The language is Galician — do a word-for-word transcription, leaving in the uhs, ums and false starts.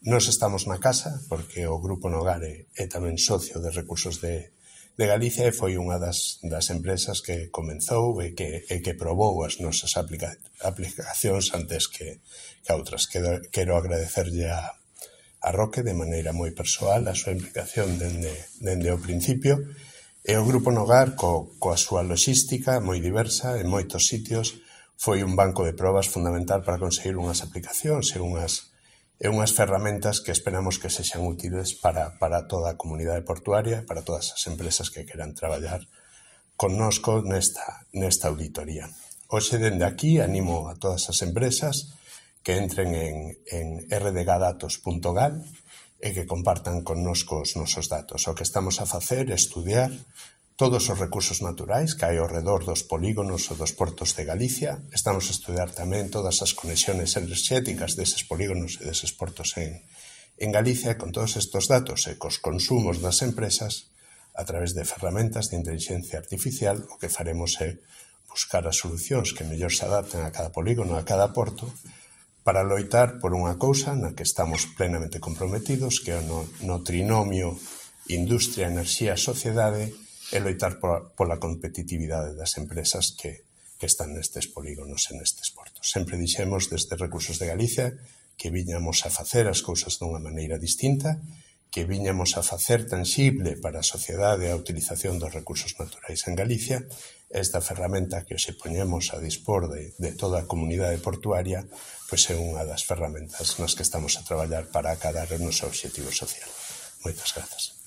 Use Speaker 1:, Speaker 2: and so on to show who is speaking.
Speaker 1: Nós estamos na casa, porque o Grupo Nogar é, é tamén socio de Recursos de, de Galicia e foi unha das, das empresas que comenzou e que, e que probou as nosas aplica, aplicacións antes que, que outras. Quero, quero agradecerlle a, a Roque de maneira moi persoal a súa implicación dende, dende o principio e o Grupo Nogar co, coa súa logística moi diversa en moitos sitios foi un banco de probas fundamental para conseguir unhas aplicacións e unhas e unhas ferramentas que esperamos que sexan útiles para, para toda a comunidade portuaria, para todas as empresas que queran traballar connosco nesta, nesta auditoría. Hoxe, dende aquí, animo a todas as empresas que entren en, en r d g datos punto gal e que compartan connosco os nosos datos. O que estamos a facer é estudiar todos os recursos naturais que hai ao redor dos polígonos ou dos portos de Galicia. Estamos a estudiar tamén todas as conexiones enerxéticas deses polígonos e deses portos en, en Galicia. Con todos estes datos e cos consumos das empresas, a través de ferramentas de inteligencia artificial, o que faremos é buscar as solucións que mellor se adapten a cada polígono, a cada porto, para loitar por unha cousa na que estamos plenamente comprometidos, que é no, no trinomio industria, enerxía, sociedade, e loitar pola competitividade das empresas que, que están nestes polígonos e nestes portos. Sempre dixemos desde Recursos de Galicia que viñamos a facer as cousas dunha maneira distinta, que viñamos a facer tangible para a sociedade a utilización dos recursos naturais en Galicia. Esta ferramenta que hoxe poñemos a dispor de, de toda a comunidade portuaria pois é unha das ferramentas nas que estamos a traballar para acadar o noso obxectivo social. Moitas grazas.